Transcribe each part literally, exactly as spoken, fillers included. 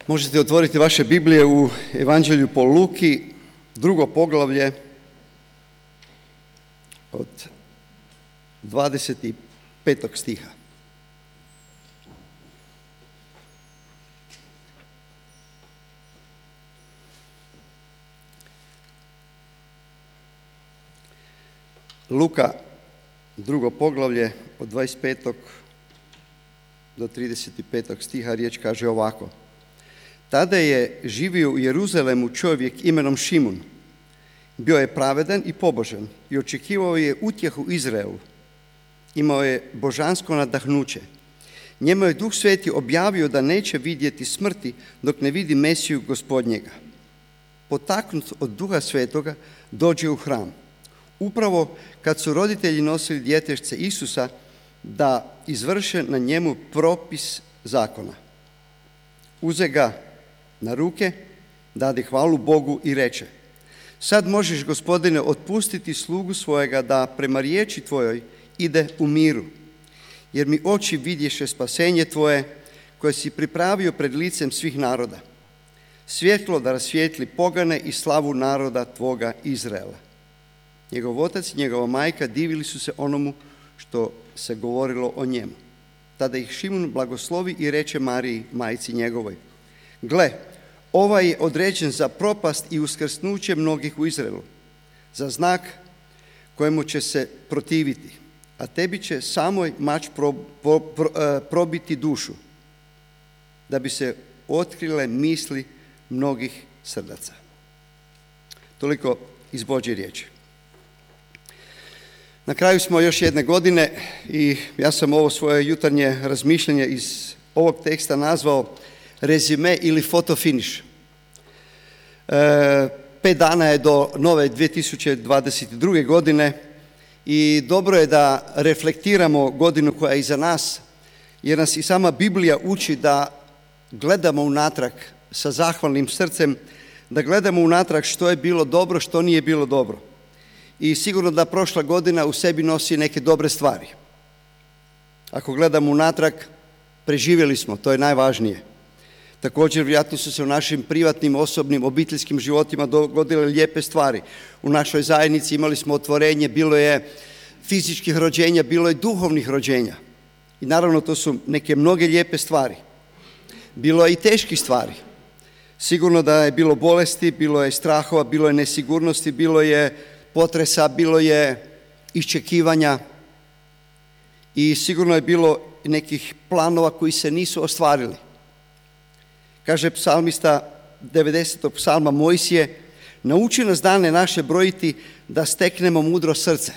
Možete otvoriti vaše Biblije u Evanđelju po Luki, drugo poglavlje od dvadeset petog stiha. Luka, drugo poglavlje od dvadeset petog do trideset petog stiha, riječ kaže ovako. Tada je živio u Jeruzalemu čovjek imenom Šimun. Bio je pravedan i pobožan i očekivao je utjehu Izraelu. Imao je božansko nadahnuće. Njemu je Duh Sveti objavio da neće vidjeti smrti dok ne vidi Mesiju Gospodnjega. Potaknut od Duha Svetoga dođe u hram. Upravo kad su roditelji nosili djetešce Isusa da izvrše na njemu propis zakona. Uze ga na ruke, dade hvalu Bogu i reče: Sad možeš, Gospodine, otpustiti slugu svojega da prema riječi tvojoj ide u miru, jer mi oči vidješe spasenje tvoje koje si pripravio pred licem svih naroda, svjetlo da rasvijetli pogane i slavu naroda tvoga Izraela. Njegov otac i njegova majka divili su se onomu što se govorilo o njemu. Tada ih Šimun blagoslovi i reče Mariji, majci njegovoj: Gle, ovaj je određen za propast i uskrsnuće mnogih u Izraelu, za znak kojemu će se protiviti, a tebi će samoj mač pro, pro, pro, probiti dušu, da bi se otkrile misli mnogih srdaca. Toliko iz Božje riječi. Na kraju smo još jedne godine i ja sam ovo svoje jutarnje razmišljanje iz ovog teksta nazvao rezime ili fotofiniš. E, pet dana je do nove dvije tisuće dvadeset druge. godine i dobro je da reflektiramo godinu koja je iza nas, jer nas i sama Biblija uči da gledamo unatrag sa zahvalnim srcem, da gledamo unatrag što je bilo dobro, što nije bilo dobro. I sigurno da prošla godina u sebi nosi neke dobre stvari. Ako gledamo unatrag, preživjeli smo, to je najvažnije. Također, vjerojatno su se u našim privatnim, osobnim, obiteljskim životima dogodile lijepe stvari. U našoj zajednici imali smo otvorenje, bilo je fizičkih rođenja, bilo je duhovnih rođenja. I naravno, to su neke mnoge lijepe stvari. Bilo je i teških stvari. Sigurno da je bilo bolesti, bilo je strahova, bilo je nesigurnosti, bilo je potresa, bilo je iščekivanja i sigurno je bilo nekih planova koji se nisu ostvarili. Kaže psalmista devedesetog psalma Mojsije: Nauči nas dane naše brojiti da steknemo mudro srce.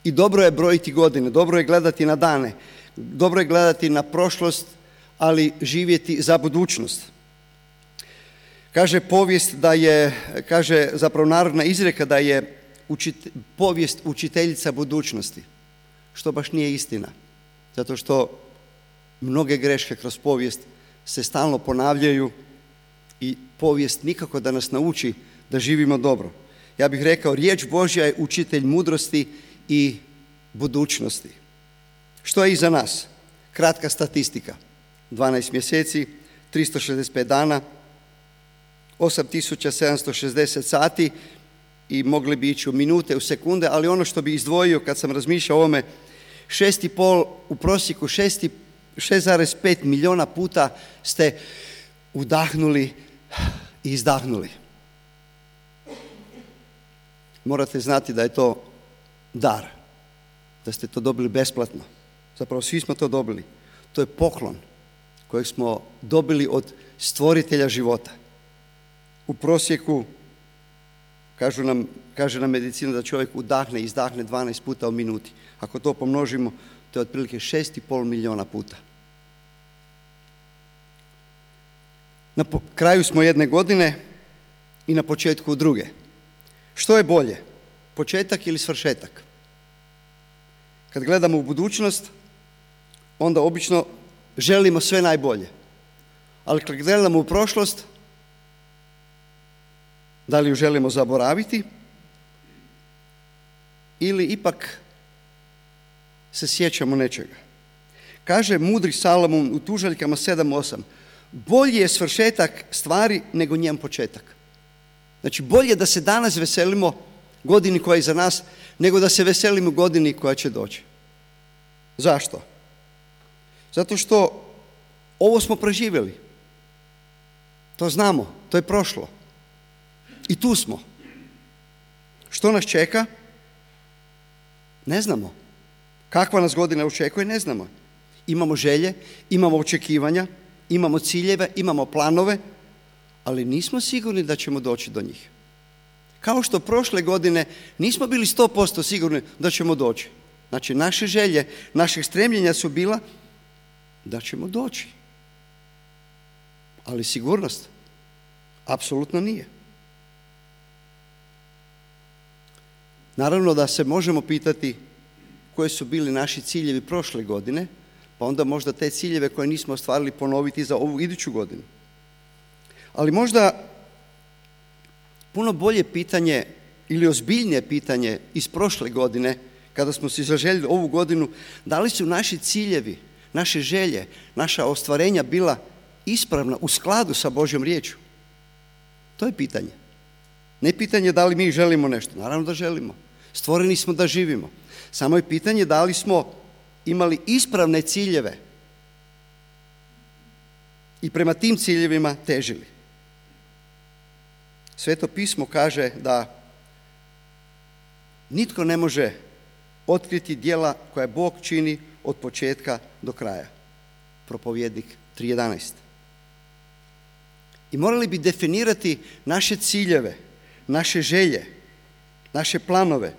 I dobro je brojiti godine, dobro je gledati na dane, dobro je gledati na prošlost, ali živjeti za budućnost. Kaže povijest da je, kaže zapravo narodna izreka da je učit, povijest učiteljica budućnosti, što baš nije istina, zato što mnoge greške kroz povijest se stalno ponavljaju i povijest nikako da nas nauči da živimo dobro. Ja bih rekao, riječ Božja je učitelj mudrosti i budućnosti. Što je iza nas? Kratka statistika. dvanaest mjeseci, tristo šezdeset pet dana, osam tisuća sedamsto šezdeset sati i mogli bi ići u minute, u sekunde, ali ono što bi izdvojio kad sam razmišljao o ovome, šest i pol, u prosjeku šest zarez pet milijuna puta ste udahnuli i izdahnuli. Morate znati da je to dar, da ste to dobili besplatno. Zapravo svi smo to dobili. To je poklon kojeg smo dobili od stvoritelja života. U prosjeku, kažu nam, kaže nam medicina da čovjek udahne i izdahne dvanaest puta u minuti. Ako to pomnožimo, to je otprilike šest i pol milijuna puta. Na kraju smo jedne godine i na početku druge. Što je bolje? Početak ili svršetak? Kad gledamo u budućnost, onda obično želimo sve najbolje. Ali kad gledamo u prošlost, da li ju želimo zaboraviti ili ipak se sjećamo nečega. Kaže mudri Salomon u tužaljkama sedam osam: bolji je svršetak stvari nego njen početak. Znači, bolje da se danas veselimo godini koja je iza nas, nego da se veselimo godini koja će doći. Zašto? Zato što ovo smo preživjeli. To znamo, to je prošlo. I tu smo. Što nas čeka? Ne znamo. Kakva nas godina očekuje? Ne znamo. Imamo želje, imamo očekivanja, imamo ciljeve, imamo planove, ali nismo sigurni da ćemo doći do njih. Kao što prošle godine nismo bili sto posto sigurni da ćemo doći. Znači, naše želje, naših stremljenja su bila da ćemo doći. Ali sigurnost apsolutno nije. Naravno da se možemo pitati koji su bili naši ciljevi prošle godine, pa onda možda te ciljeve koje nismo ostvarili ponoviti za ovu iduću godinu. Ali možda puno bolje pitanje ili ozbiljnije pitanje iz prošle godine, kada smo si zaželjeli ovu godinu, da li su naši ciljevi, naše želje, naša ostvarenja bila ispravna u skladu sa Božjom riječju? To je pitanje. Ne pitanje da li mi želimo nešto. Naravno da želimo. Stvoreni smo da živimo. Samo je pitanje da li smo imali ispravne ciljeve i prema tim ciljevima težili. Sveto pismo kaže da nitko ne može otkriti djela koja Bog čini od početka do kraja. Propovjednik tri jedanaest. I morali bi definirati naše ciljeve, naše želje, naše planove,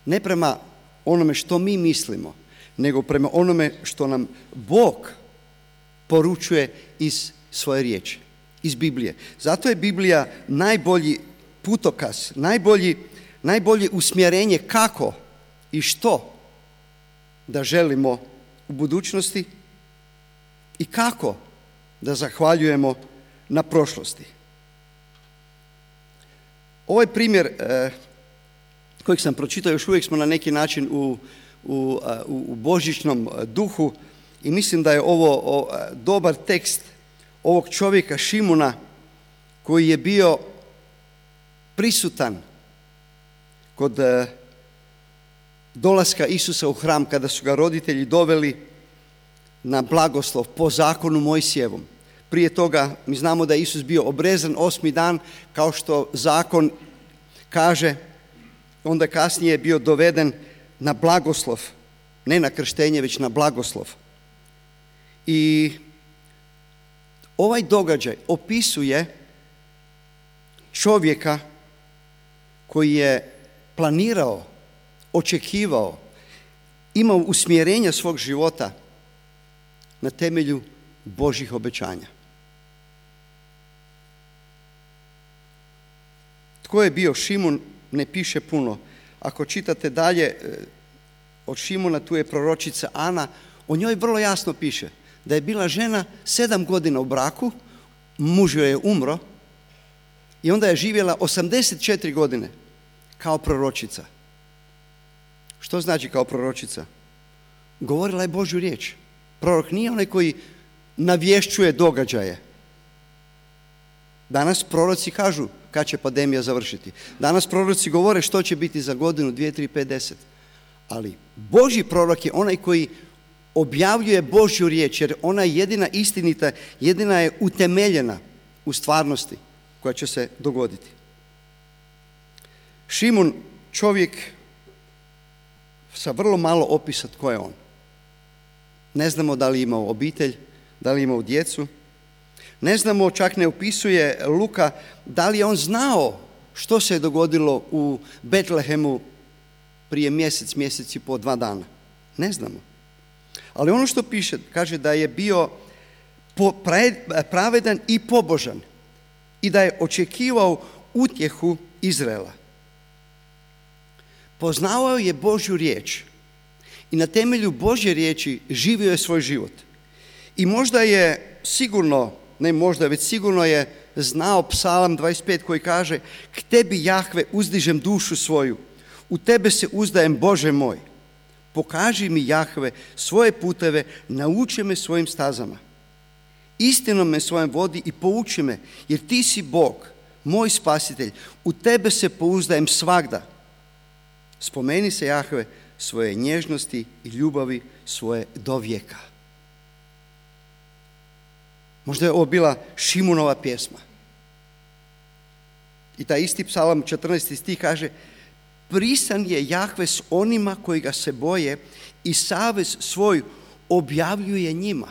ne prema onome što mi mislimo, nego prema onome što nam Bog poručuje iz svoje riječi, iz Biblije. Zato je Biblija najbolji putokaz, najbolji, najbolje usmjerenje kako i što da želimo u budućnosti i kako da zahvaljujemo na prošlosti. Ovaj primjer eh, kojeg sam pročitao, još uvijek smo na neki način u, u, u božićnom duhu i mislim da je ovo o, dobar tekst ovog čovjeka Šimuna koji je bio prisutan kod eh, dolaska Isusa u hram kada su ga roditelji doveli na blagoslov po zakonu Mojsijevom. Prije toga mi znamo da je Isus bio obrezan osmi dan kao što zakon kaže, onda kasnije je bio doveden na blagoslov, ne na krštenje, već na blagoslov. I ovaj događaj opisuje čovjeka koji je planirao, očekivao, imao usmjerenja svog života na temelju Božjih obećanja. Tko je bio Šimun, ne piše puno. Ako čitate dalje od Šimuna, tu je proročica Ana, o njoj vrlo jasno piše da je bila žena sedam godina u braku, muž joj je umro i onda je živjela osamdeset četiri godine kao proročica. Što znači kao proročica? Govorila je Božju riječ. Prorok nije onaj koji navješćuje događaje. Danas proroci kažu kad će pandemija završiti. Danas proroci govore što će biti za godinu, dvije, tri, pet, deset. Ali Božji prorok je onaj koji objavljuje Božju riječ, jer ona je jedina istinita, jedina je utemeljena u stvarnosti koja će se dogoditi. Šimun, čovjek sa vrlo malo opisa tko je on. Ne znamo da li je imao obitelj, da li je imao djecu. Ne znamo, čak ne opisuje Luka, da li je on znao što se je dogodilo u Betlehemu prije mjesec, mjesec i po dva dana. Ne znamo. Ali ono što piše, kaže da je bio pravedan i pobožan i da je očekivao utjehu Izraela. Poznavao je Božju riječ i na temelju Božje riječi živio je svoj život. I možda je sigurno, ne možda, već sigurno je znao Psalam dvadeset pet koji kaže: k tebi, Jahve, uzdižem dušu svoju, u tebe se uzdajem, Bože moj. Pokaži mi, Jahve, svoje puteve, nauči me svojim stazama. istinom me svojom vodi i pouči me, jer ti si Bog, moj spasitelj, u tebe se pouzdajem svagda. Spomeni se, Jahve, svoje nježnosti i ljubavi svoje do vijeka. Možda je ovo bila Šimunova pjesma. I taj isti psalam, četrnaesti stih kaže: prisan je Jahve s onima koji ga se boje i savez svoj objavljuje njima.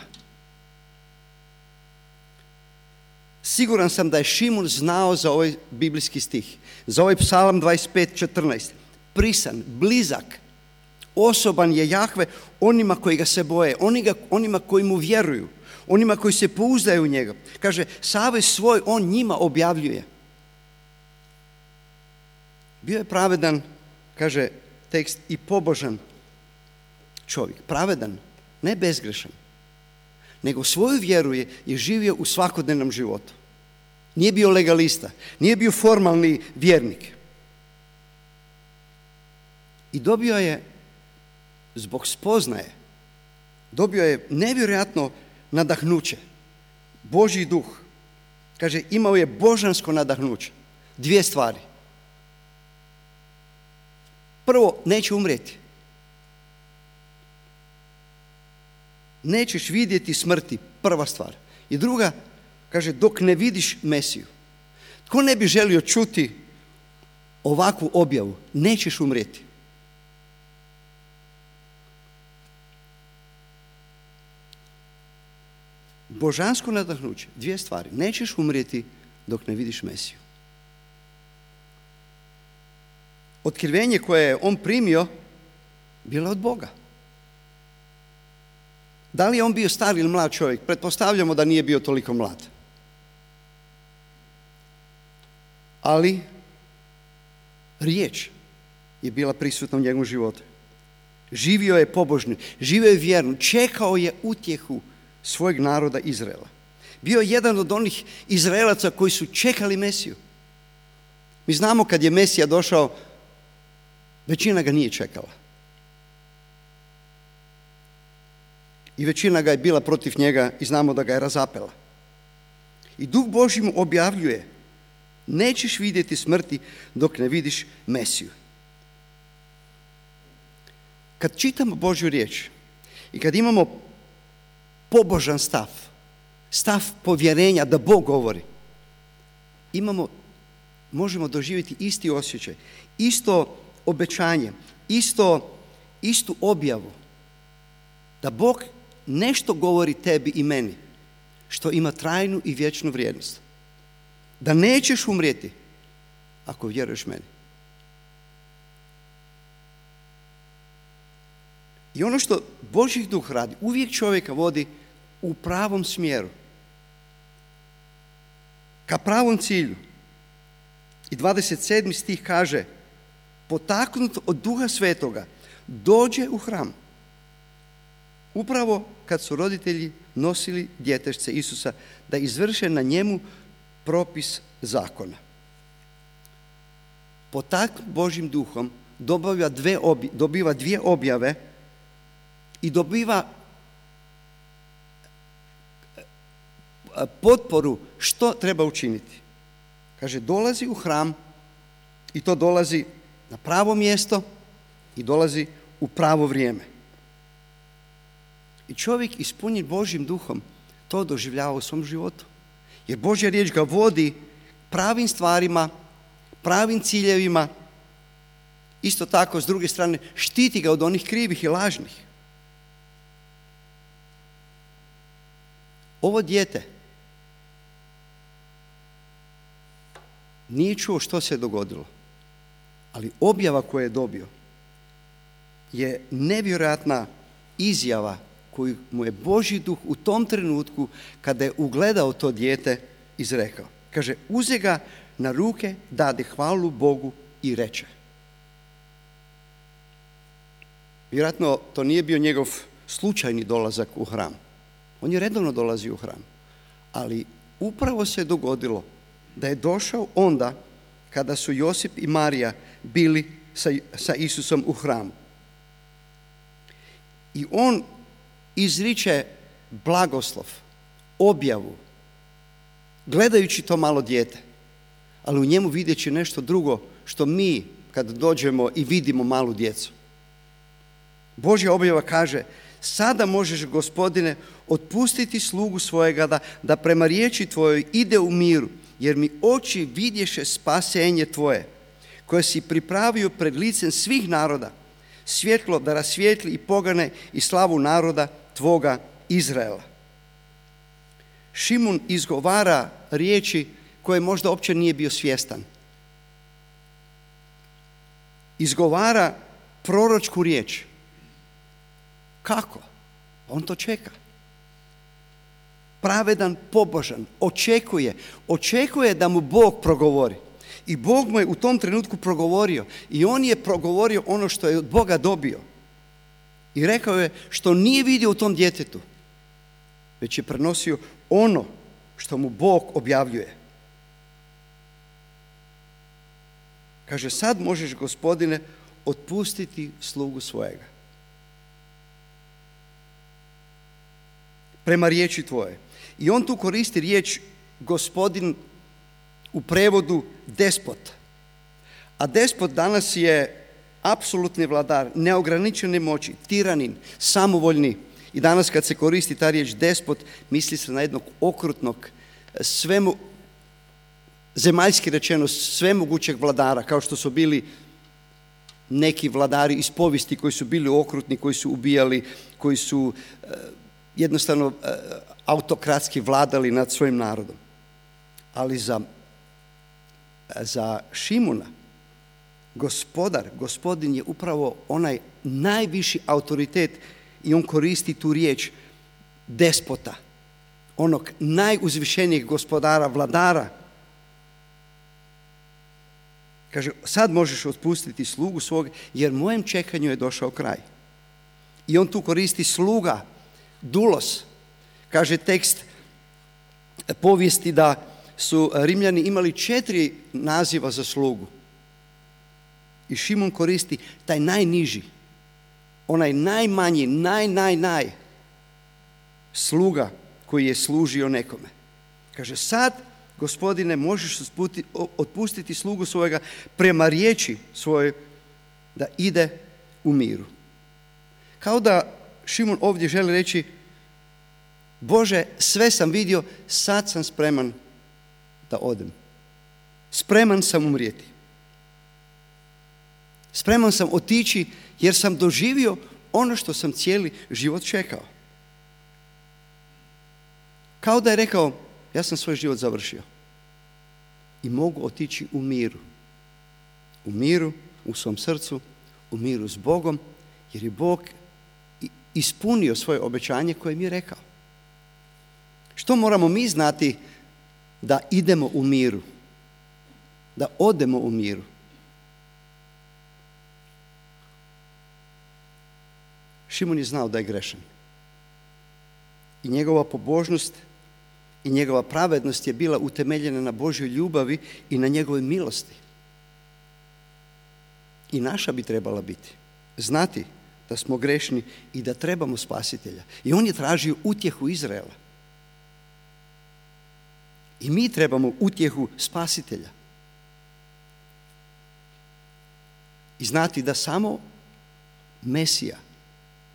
Siguran sam da je Šimun znao za ovaj biblijski stih, za ovaj psalam dvadeset pet četrnaest. Prisan, blizak, osoban je Jahve onima koji ga se boje, onima koji mu vjeruju, onima koji se pouzdaju u njega. Kaže, savez svoj on njima objavljuje. Bio je pravedan, kaže tekst, i pobožan čovjek. Pravedan, ne bezgrešan, nego svoju vjeru je, je živio u svakodnevnom životu. Nije bio legalista, nije bio formalni vjernik. I dobio je, zbog spoznaje, dobio je nevjerojatno nadahnuće. Božji duh. Kaže, imao je božansko nadahnuće. Dvije stvari. Prvo, neće umrijeti. Nećeš vidjeti smrti, prva stvar. I druga, kaže, dok ne vidiš Mesiju. Tko ne bi želio čuti ovakvu objavu? Nećeš umrijeti. Božansko nadahnuće, dvije stvari. Nećeš umrijeti dok ne vidiš Mesiju. Otkrivenje koje je on primio bilo je od Boga. Da li je on bio star ili mlad čovjek? Pretpostavljamo da nije bio toliko mlad. Ali riječ je bila prisutna u njegovom životu. Živio je pobožno, živio je vjerno, čekao je utjehu svojeg naroda Izraela. Bio je jedan od onih Izraelaca koji su čekali Mesiju. Mi znamo kad je Mesija došao, većina ga nije čekala. I većina ga je bila protiv njega i znamo da ga je razapela. I Duh Božji mu objavljuje: nećeš vidjeti smrti dok ne vidiš Mesiju. Kad čitamo Božju riječ i kad imamo pobožan stav, stav povjerenja da Bog govori, imamo, možemo doživjeti isti osjećaj, isto obećanje, isto, istu objavu da Bog nešto govori tebi i meni što ima trajnu i vječnu vrijednost. Da nećeš umrijeti ako vjeruješ meni. I ono što Božji duh radi, uvijek čovjeka vodi u pravom smjeru, ka pravom cilju. I dvadeset sedmi stih kaže: potaknut od Duha Svetoga dođe u hram. Upravo kad su roditelji nosili djetešce Isusa da izvrše na njemu propis zakona. Potaknut Božjim duhom dobiva dvije, obje, dobiva dvije objave i dobiva potporu što treba učiniti. Kaže, dolazi u hram i to dolazi na pravo mjesto i dolazi u pravo vrijeme. I čovjek ispunjen Božjim duhom to doživljava u svom životu. Jer Božja riječ ga vodi pravim stvarima, pravim ciljevima. Isto tako, s druge strane, štiti ga od onih krivih i lažnih. Ovo dijete nije čuo što se je dogodilo, ali objava koju je dobio je nevjerojatna izjava koju mu je Božji duh u tom trenutku kada je ugledao to dijete izrekao. Kaže, uze ga na ruke, dade hvalu Bogu i reče. Vjerojatno to nije bio njegov slučajni dolazak u hram. On je redovno dolazio u hram. Ali upravo se dogodilo da je došao onda kada su Josip i Marija bili sa, sa Isusom u hramu. I on izriče blagoslov objavu, gledajući to malo dijete, ali u njemu vidjeći nešto drugo što mi kad dođemo i vidimo malu djecu. Božja objava kaže: sada možeš, Gospodine, otpustiti slugu svojega da, da prema riječi tvojoj ide u miru, jer mi oči vidješe spasenje tvoje, koje si pripravio pred licem svih naroda, svjetlo da rasvijetli i pogane i slavu naroda tvoga Izraela. Šimun izgovara riječi koje možda uopće nije bio svjestan. Izgovara proročku riječ. Kako? On to čeka. Pravedan, pobožan, očekuje. Očekuje da mu Bog progovori. I Bog mu je u tom trenutku progovorio. I on je progovorio ono što je od Boga dobio. I rekao je što nije vidio u tom djetetu, već je prenosio ono što mu Bog objavljuje. Kaže: sad možeš, Gospodine, otpustiti slugu svojega prema riječi tvoje. I on tu koristi riječ gospodin u prevodu despot. A despot danas je apsolutni vladar, neograničene moći, tiranin, samovoljni. I danas kad se koristi ta riječ despot, misli se na jednog okrutnog, svemu, zemaljski rečeno, svemogućeg vladara, kao što su bili neki vladari iz povijesti koji su bili okrutni, koji su ubijali, koji su eh, jednostavno eh, autokratski vladali nad svojim narodom. Ali za, za Šimuna, gospodar, gospodin je upravo onaj najviši autoritet i on koristi tu riječ despota, onog najuzvišenijeg gospodara, vladara. Kaže: sad možeš otpustiti slugu svog, jer mojem čekanju je došao kraj. I on tu koristi sluga, dulos. Kaže tekst povijesti da su Rimljani imali četiri naziva za slugu. I Šimun koristi taj najniži, onaj najmanji, naj, naj, naj sluga koji je služio nekome. Kaže: sad, Gospodine, možeš otpustiti slugu svojega prema riječi svoje da ide u miru. Kao da Šimun ovdje želi reći: Bože, sve sam vidio, sad sam spreman da odem. Spreman sam umrijeti. Spreman sam otići jer sam doživio ono što sam cijeli život čekao. Kao da je rekao: ja sam svoj život završio i mogu otići u miru. U miru, u svom srcu, u miru s Bogom, jer je Bog ispunio svoje obećanje koje mi je rekao. Što moramo mi znati da idemo u miru? Da odemo u miru? Šimun je znao da je grešan. I njegova pobožnost i njegova pravednost je bila utemeljena na Božjoj ljubavi i na njegovoj milosti. I naša bi trebala biti znati da smo grešni i da trebamo spasitelja. I on je tražio utjehu Izraela. I mi trebamo utjehu spasitelja. I znati da samo Mesija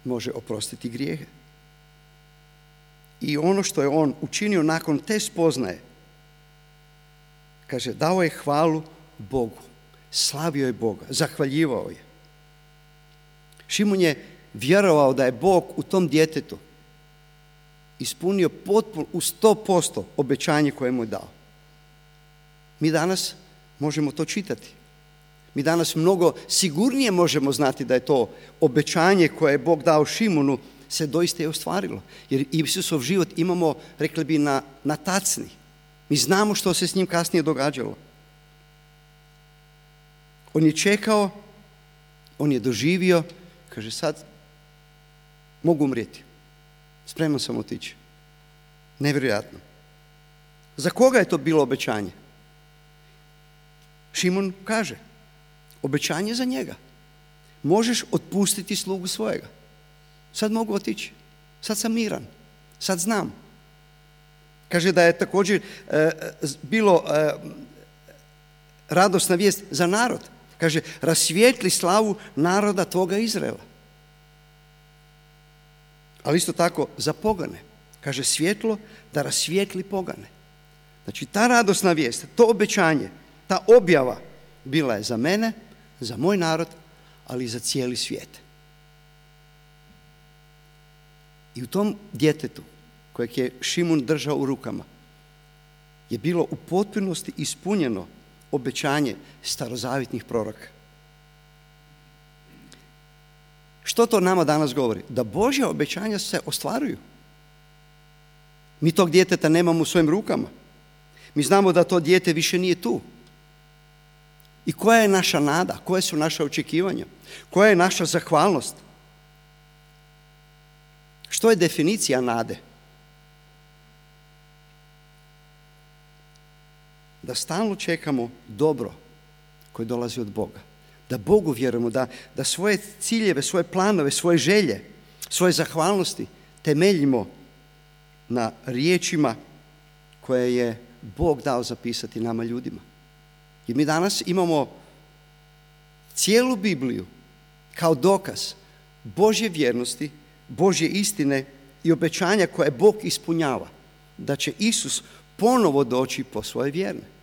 može oprostiti grijehe. I ono što je on učinio nakon te spoznaje, kaže, dao je hvalu Bogu, slavio je Boga, zahvaljivao je. Šimun je vjerovao da je Bog u tom djetetu ispunio potpuno u sto posto obećanje koje mu je dao. Mi danas možemo to čitati. Mi danas mnogo sigurnije možemo znati da je to obećanje koje je Bog dao Šimunu se doista je ostvarilo. Jer Isusov život imamo, rekli bi, na, na tacni. Mi znamo što se s njim kasnije događalo. On je čekao, on je doživio, kaže, sad mogu umrijeti. Spreman sam otići. Nevjerojatno. Za koga je to bilo obećanje? Šimun kaže, obećanje za njega. Možeš otpustiti slugu svojega. Sad mogu otići. Sad sam miran. Sad znam. Kaže da je također e, bilo e, radosna vijest za narod. Kaže, rasvijetli slavu naroda tvoga Izraela. Ali isto tako za pogane. Kaže, svjetlo da rasvijetli pogane. Znači, ta radosna vijest, to obećanje, ta objava bila je za mene, za moj narod, ali i za cijeli svijet. I u tom djetetu, kojeg je Šimun držao u rukama, je bilo u potpunosti ispunjeno obećanje starozavjetnih proroka. Što to nama danas govori? Da Božja obećanja se ostvaruju. Mi tog djeteta nemamo u svojim rukama. Mi znamo da to dijete više nije tu. I koja je naša nada? Koje su naše očekivanja? Koja je naša zahvalnost? Što je definicija nade? Da stalno čekamo dobro koje dolazi od Boga. Da Bogu vjerujemo, da, da svoje ciljeve, svoje planove, svoje želje, svoje zahvalnosti temeljimo na riječima koje je Bog dao zapisati nama ljudima. I mi danas imamo cijelu Bibliju kao dokaz Božje vjernosti, Božje istine i obećanja koje Bog ispunjava. Da će Isus ponovo doći po svoje vjerne.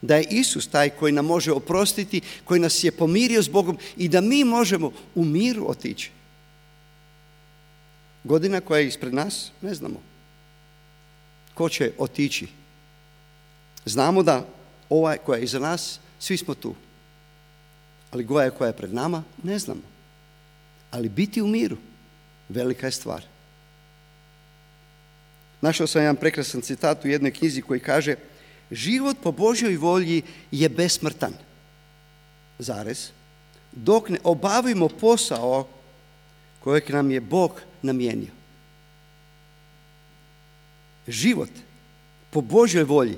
Da je Isus taj koji nam može oprostiti, koji nas je pomirio s Bogom i da mi možemo u miru otići. Godina koja je ispred nas, ne znamo. Ko će otići? Znamo da ova koja je iza nas, svi smo tu. Ali koja je koja je pred nama, ne znamo. Ali biti u miru, velika je stvar. Našao sam jedan prekrasan citat u jednoj knjizi koji kaže: život po Božjoj volji je besmrtan, zarez, dok ne obavimo posao kojeg nam je Bog namijenio. Život po Božjoj volji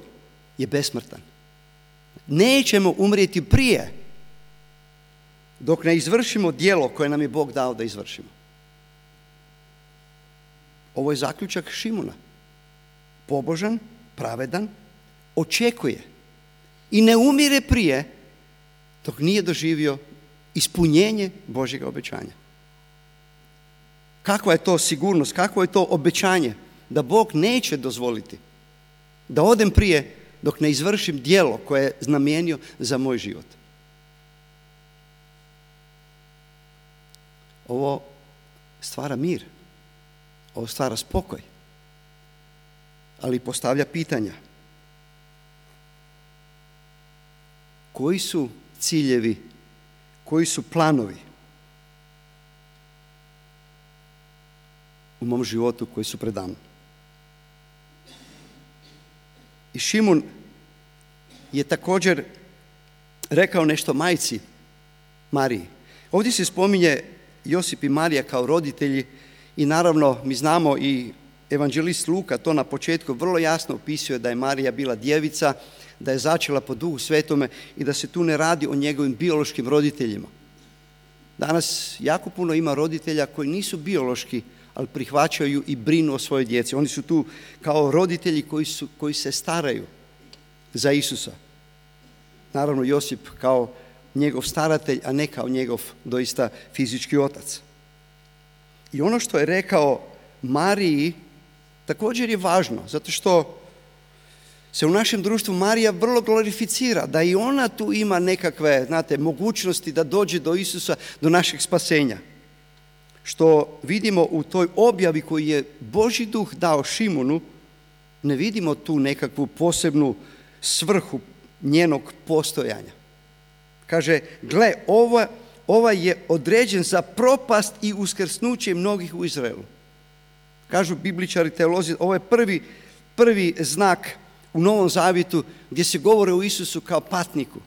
je besmrtan. Nećemo umrijeti prije dok ne izvršimo djelo koje nam je Bog dao da izvršimo. Ovo je zaključak Šimuna. Pobožan, pravedan, očekuje i ne umire prije dok nije doživio ispunjenje Božjega obećanja. Kakva je to sigurnost, kakvo je to obećanje da Bog neće dozvoliti da odem prije dok ne izvršim djelo koje je namijenio za moj život. Ovo stvara mir, ovo stvara spokoj, ali postavlja pitanja. Koji su ciljevi, koji su planovi u mom životu koji su pred nama? I Šimun je također rekao nešto majci Mariji. Ovdje se spominje Josip i Marija kao roditelji i naravno mi znamo i evanđelist Luka to na početku vrlo jasno opisuje da je Marija bila djevica, da je začela po Duhu Svetome i da se tu ne radi o njegovim biološkim roditeljima. Danas jako puno ima roditelja koji nisu biološki, ali prihvaćaju i brinu o svojoj djeci. Oni su tu kao roditelji koji, su, koji se staraju za Isusa. Naravno Josip kao njegov staratelj, a ne kao njegov doista fizički otac. I ono što je rekao Mariji također je važno, zato što se u našem društvu Marija vrlo glorificira, da i ona tu ima nekakve, znate, mogućnosti da dođe do Isusa, do našeg spasenja. Što vidimo u toj objavi koju je Božji duh dao Šimunu, ne vidimo tu nekakvu posebnu svrhu njenog postojanja. Kaže, gle, ova, ova je određen za propast i uskrsnuće mnogih u Izraelu. Kažu bibličari, teolozi, ovo je prvi, prvi znak u Novom Zavjetu gdje se govore o Isusu kao patniku,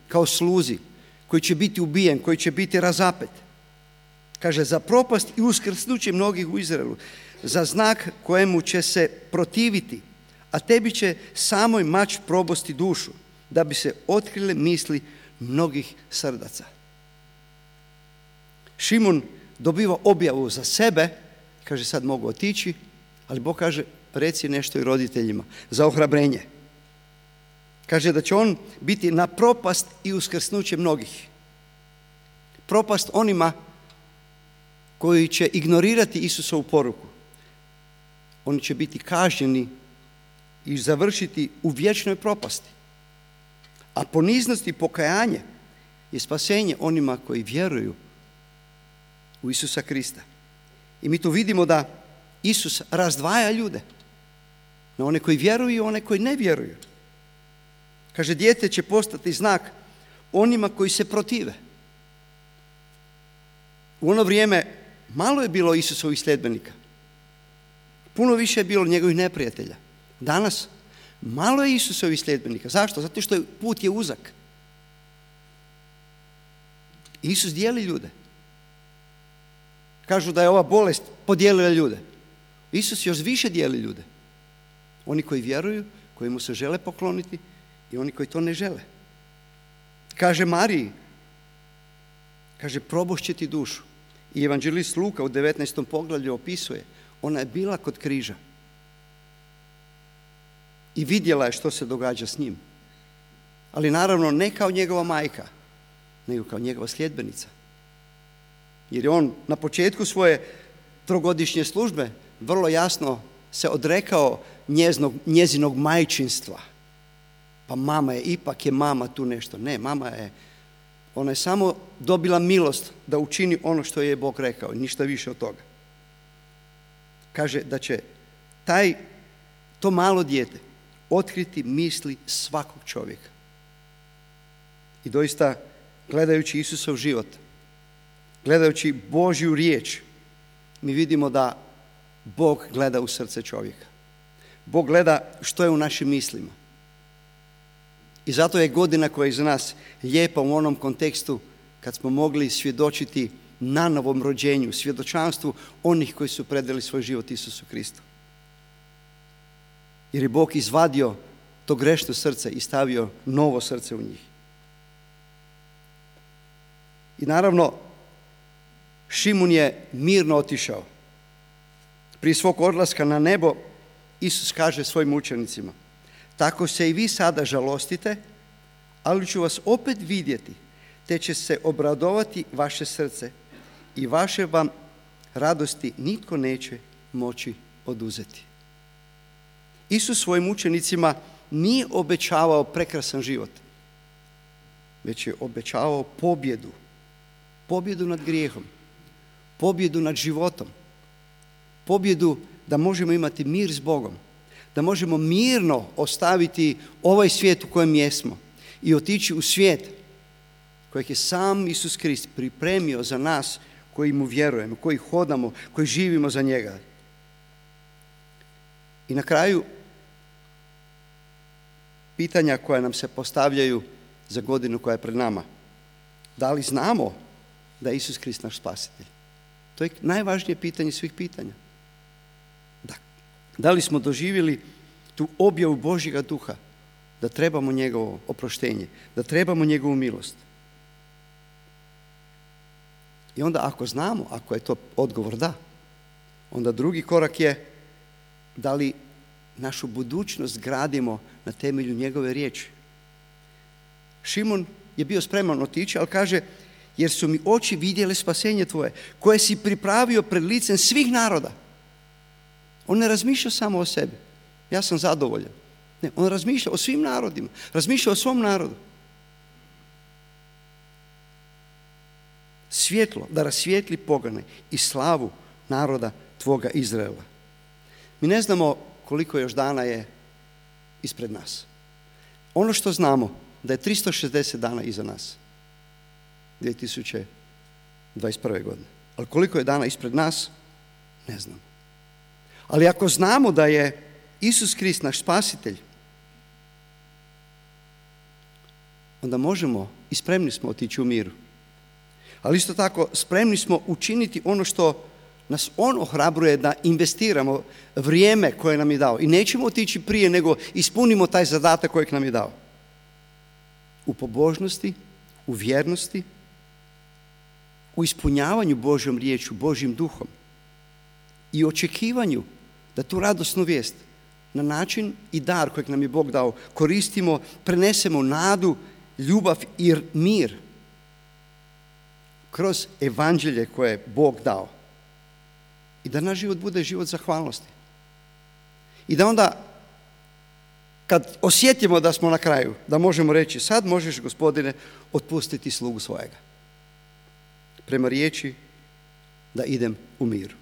kao sluzi, koji će biti ubijen, koji će biti razapet. Kaže, za propast i uskrsnuće mnogih u Izraelu, za znak kojemu će se protiviti, a tebi će samoj mač probosti dušu, da bi se otkrile misli mnogih srdaca. Šimun dobiva objavu za sebe, kaže sad mogu otići, ali Bog kaže reci nešto i roditeljima za ohrabrenje. Kaže da će on biti na propast i uskrsnuće mnogih. Propast onima koji će ignorirati Isusovu poruku. Oni će biti kažnjeni i završiti u vječnoj propasti. A poniznost i pokajanje je spasenje onima koji vjeruju u Isusa Krista. I mi tu vidimo da Isus razdvaja ljude na one koji vjeruju i one koji ne vjeruju. Kaže, dijete će postati znak onima koji se protive. U ono vrijeme malo je bilo Isusovih sljedbenika. Puno više je bilo njegovih neprijatelja. Danas malo je Isusovih sljedbenika. Zašto? Zato što put je uzak. Isus dijeli ljude. Kažu da je ova bolest podijelila ljude. Isus još više dijeli ljude. Oni koji vjeruju, koji mu se žele pokloniti i oni koji to ne žele. Kaže Mariji, kaže, probošće ti dušu. I evanđelist Luka u devetnaestom poglavlju opisuje, ona je bila kod križa i vidjela je što se događa s njim. Ali naravno ne kao njegova majka, nego kao njegova sljedbenica. Jer je on na početku svoje trogodišnje službe vrlo jasno se odrekao njeznog, njezinog majčinstva. Pa mama je, ipak je mama tu nešto. Ne, mama je, ona je samo dobila milost da učini ono što je Bog rekao, ništa više od toga. Kaže da će taj, to malo dijete otkriti misli svakog čovjeka. I doista, gledajući Isusov život, gledajući Božju riječ, mi vidimo da Bog gleda u srce čovjeka. Bog gleda što je u našim mislima. I zato je godina koja je iza nas lijepa u onom kontekstu kad smo mogli svjedočiti na novom rođenju, svjedočanstvu onih koji su predali svoj život Isusu Kristu. Jer je Bog izvadio to grešno srce i stavio novo srce u njih. I naravno, Šimun je mirno otišao. Prije svog odlaska na nebo, Isus kaže svojim učenicima, tako se i vi sada žalostite, ali ću vas opet vidjeti, te će se obradovati vaše srce i vaše vam radosti nitko neće moći oduzeti. Isus svojim učenicima nije obećavao prekrasan život, već je obećavao pobjedu. Pobjedu nad grijehom, pobjedu nad životom, pobjedu da možemo imati mir s Bogom, da možemo mirno ostaviti ovaj svijet u kojem jesmo i otići u svijet kojeg je sam Isus Krist pripremio za nas koji mu vjerujemo, koji hodamo, koji živimo za njega. I na kraju, pitanja koja nam se postavljaju za godinu koja je pred nama. Da li znamo da je Isus Krist naš spasitelj? To je najvažnije pitanje svih pitanja. Da, da li smo doživjeli tu objavu Božjega duha, da trebamo njegovo oproštenje, da trebamo njegovu milost? I onda ako znamo, ako je to odgovor da, onda drugi korak je da li našu budućnost gradimo na temelju njegove riječi. Šimun je bio spreman otići, ali kaže, jer su mi oči vidjele spasenje tvoje, koje si pripravio pred licem svih naroda. On ne razmišlja samo o sebi. Ja sam zadovoljan. Ne, on razmišlja o svim narodima. Razmišlja o svom narodu. Svjetlo da rasvijetli pogane i slavu naroda tvoga Izraela. Mi ne znamo koliko još dana je ispred nas. Ono što znamo da je tristo šezdeset dana iza nas. dvije tisuće dvadeset prve. godine. Ali koliko je dana ispred nas, ne znamo. Ali ako znamo da je Isus Krist naš spasitelj, onda možemo i spremni smo otići u miru. Ali isto tako spremni smo učiniti ono što nas on ohrabruje da investiramo vrijeme koje nam je dao. I nećemo otići prije nego ispunimo taj zadatak kojeg nam je dao. U pobožnosti, u vjernosti, u ispunjavanju Božjom riječju, Božjim duhom i očekivanju da tu radosnu vijest na način i dar kojeg nam je Bog dao koristimo, prenesemo nadu, ljubav i mir kroz evanđelje koje je Bog dao. I da naš život bude život zahvalnosti. I da onda, kad osjetimo da smo na kraju, da možemo reći, sad možeš, Gospodine, otpustiti slugu svojega. Prema riječi da idem u miru.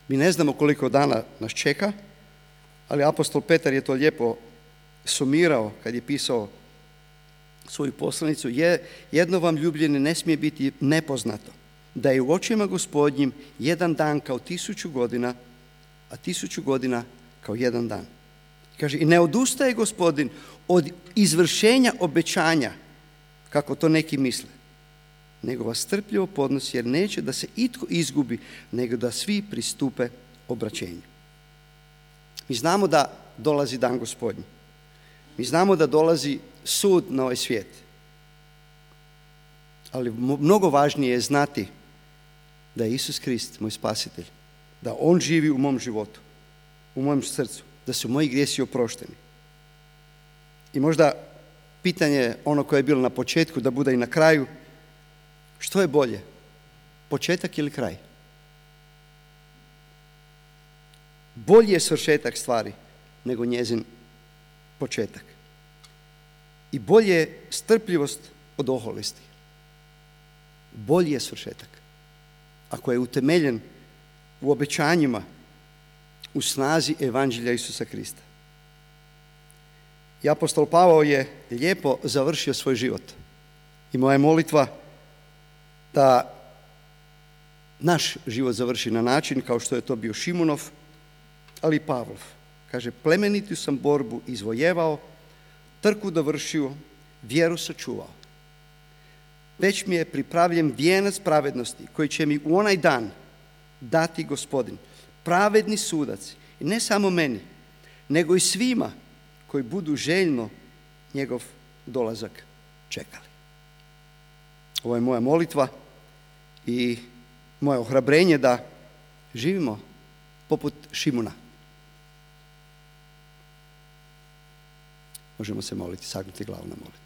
Mi ne znamo koliko dana nas čeka, ali apostol Petar je to lijepo sumirao kad je pisao svoju poslanicu. Je, jedno vam ljubljenje ne smije biti nepoznato, da je u očima Gospodnjim jedan dan kao tisuću godina, a tisuću godina kao jedan dan. Kaže, i ne odustaje Gospodin od izvršenja obećanja, kako to neki misle, nego vas strpljivo podnosi, jer neće da se itko izgubi, nego da svi pristupe obraćenju. Mi znamo da dolazi dan Gospodnji. Mi znamo da dolazi sud na ovaj svijet. Ali mnogo važnije je znati da je Isus Krist moj spasitelj, da On živi u mom životu, u mojem srcu, da su moji grijesi oprošteni. I možda pitanje ono koje je bilo na početku, da bude i na kraju, što je bolje, početak ili kraj? Bolji je svršetak stvari nego njezin početak. I bolje je strpljivost od oholosti. Bolji je svršetak ako je utemeljen u obećanjima, u snazi evanđelja Isusa Krista. I apostol Pavao je lijepo završio svoj život. I moja je molitva da naš život završi na način kao što je to bio Šimunov, ali i Pavlov. Kaže, plemenitu sam borbu izvojevao, trku dovršio, vjeru sačuvao. Već mi je pripravljen vijenac pravednosti koji će mi u onaj dan dati Gospodin, pravedni sudac, i ne samo meni, nego i svima koji budu željno njegov dolazak čekali. Ovo je moja molitva i moje ohrabrenje da živimo poput Šimuna. Možemo se moliti, sagnuti glavu na molitvu.